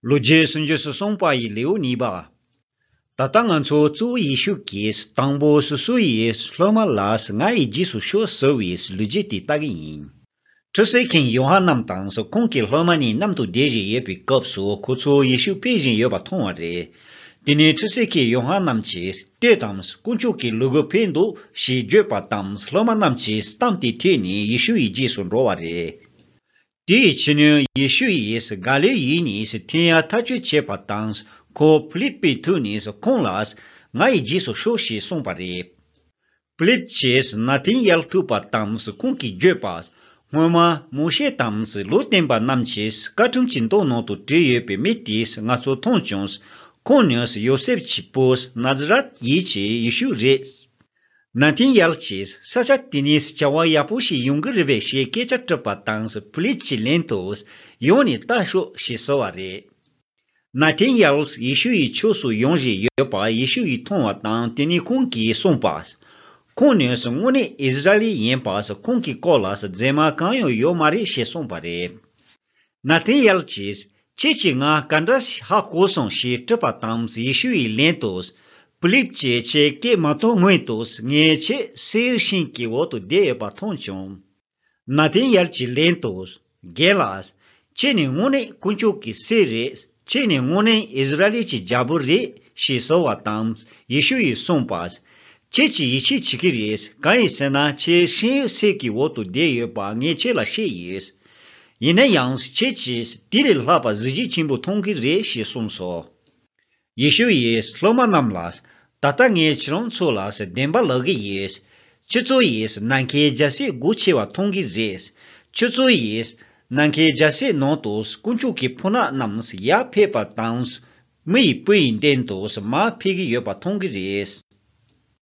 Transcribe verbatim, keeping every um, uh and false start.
ལོ་རྒྱུས་སུམ་ཅུ་སོ་གསུམ་པ་ཡི་ལེའུ་གཉིས་པ། ད་ལྟ་ང་ཚོ་གཙོ་བོ་ཡེ་ཤུ་གིས་དང་པོ་སོ་སོ་ཡི་སློབ་མ་ལ་ང་ཡི་རྗེས་སུ་ཤོག་ཟེར་བའི་ལོ་རྒྱུས་དེ་ལྟ་གི་ཡིན། ཁྲུས་གསོལ་མཁན་ཡོ་ཧ་ནན་དང་ཁོང་གི་སློབ་མ་གཉིས་མཉམ་དུ་བསྡད་བཞིན་ཡོད་པའི་སྐབས་སུ་ཁོ་ཚོ་ཡེ་ཤུ་ཕེབས་བཞིན་ཡོད་པ་མཐོང་བ་རེད། དེ་ནས་ཁྲུས་གསོལ་མཁན་ཡོ་ཧ་ནན་གྱིས་ལྟོས་དང་། དཀོན་མཆོག་གི་ལུ་གུ་ཕེབས་འདུག་ཞེས་བརྗོད་པ་དང་སློབ་མ་རྣམས་ཀྱིས་གཏམ་དེ་ཐོས་ནས་ཡེ་ཤུ་ཡི་རྗེས་སུ་འགྲོ་བ་རེད། དེའི་ཕྱི་ནས་ཡེ་ཤུ་ཡིས་ག་ལིལ་ཡུལ་ནས་ཐེངས་ཡང་ཐག་གཅོད་བྱས་པ་དང་། ཁོ་ཕི་ལིབ་པའི་ཐུག་ནས་ཁོང་ལ་ང་ཡི་རྗེས་སུ་ཤོག་ཞེས་གསུངས་པ་རེད། ཕི་ལིབ་ཀྱིས་ན་ཐན་ཡལ་ཐུག་པ་དང་ཁོང་གིས་བརྗོད་པ། སྔོན་མ་མོ་ཤེ་དང་ལུང་སྟོན་པ་རྣམས་ཀྱིས་བཀའ་ཁྲིམས་ཀྱི་མདོ་ནང་དུ་བྲིས་ཡོད་པའི་མི་དེས་ང་ཚོ་མཐོང་བྱུང་། ཁོང་ནི་ཡོ་སེབ་ཀྱི་བུ་ན་ཛ་རད་ཡུལ་གྱི་ཡེ་ཤུ་རེད། ན་ཐན་ཡལ་གྱིས་ས་ཆ་དེ་ནས་བྱ་བ་ཡག་པོ་ཞིག་ཡོང་གི་རེད་པས་ཞེས་སྐད་ཆ་དྲིས་པ་དང་ཕི་ལིབ་ཀྱིས་ལན་དུ། ཡོང་ནས་ལྟ་ཤོག་ཞེས་ཟེར་བ་རེད། ན་ཐན་ཡལ་ཡེ་ཤུ་ཡི་ཕྱོགས་སུ་ཡོང་བཞིན་ཡོད་པ་ཡེ་ཤུ་ཡིས་མཐོང་བ་དང་དེ་ནས་ཁོང་གིས་གསུངས་པ། ཁོང་ནི་དངོས་གནས་ཨིསི་ར་ཨེལ་ཡིན་པ་ཁོང་གི་སྐོར་ལ་རྫུན་མ་གང་ཡང་ཡོད་མ་རེད་ཞེས་གསུངས་པ་རེད། ན་ཐན་ཡལ་གྱིས། ཁྱེད་ཀྱིས་ང་ག་འདྲ་ཞིག་ཧ་གོ་སོང་ཞེས་དྲིས་པ་དང་ཡེ་ཤུ་ཡིས་ལན་དུ། ཕི་ལིབ་ཀྱིས་ཁྱེད་སྐད་མ་གཏོང་སྔོན་དུ་ངས་ཁྱེད་སེའུ་ཤིང་གི་འོག་ཏུ་བསྡད་ཡོད་པ་མཐོང་བྱུང་། ན་ཐན་ཡལ་གྱིས་ལན་དུ། རྒན་ལགས། ཁྱེད་ནི་དངོས་གནས་དཀོན་མཆོག་གི་སྲས་རེད། ཁྱེད་ནི་དངོས་གནས་ཨིསི་ར་ཨེལ་གྱི་རྒྱལ་པོ་རེད་ཞེས་ཟེར་བ་དང་ཡེ་ཤུ་ཡིས་གསུངས་པ། ཁྱེད་ཀྱིས་ཡིད་ཆེས་བྱེད་ཀྱི་རེད། གང་ཡིན་ཟེར་ན་ཁྱེད་ཤིང་འོད་ཟེར་གྱི་འོག་ཏུ་བསྡད་ཡོད་པ་ངས་ཁྱེད་ལ་བཤད་ཡོད། ཡིན་ན་ཡང་ཁྱེད་ཀྱིས་དེ་ལས་ལྷག་པ་གཟི་བརྗིད་ཆེན་པོ་མཐོང་གི་རེད་ཞེས་གསུངས་སོ། ཡེ་ཤུ་ཡིས་སློབ་མ་རྣམས་ལ། ད་ལྟ་ངས་ཁྱེད་རང་ཚོ་ལ་བདེན་པ་ལབ་ཀྱི་ཡོད། ཁྱེད་ཚོ་ཡིས་ནམ་མཁའི་རྒྱལ་སྲིད་སྒོ་ཕྱེ་བ་མཐོང་གི་རེད། ཁྱེད་ཚོ་ཡིས་ནམ་མཁའི་རྒྱལ་སྲིད་ནང་དུ་དཀོན་མཆོག་གི་ཕོ་ཉ་རྣམས་ཡར་ཕེབས་པ་དང་། མི་ཡི་བུ་ཡི་མདུན་དུ་མར་ཕེབས་ཀྱི་ཡོད་པ་མཐོང་གི་རེད།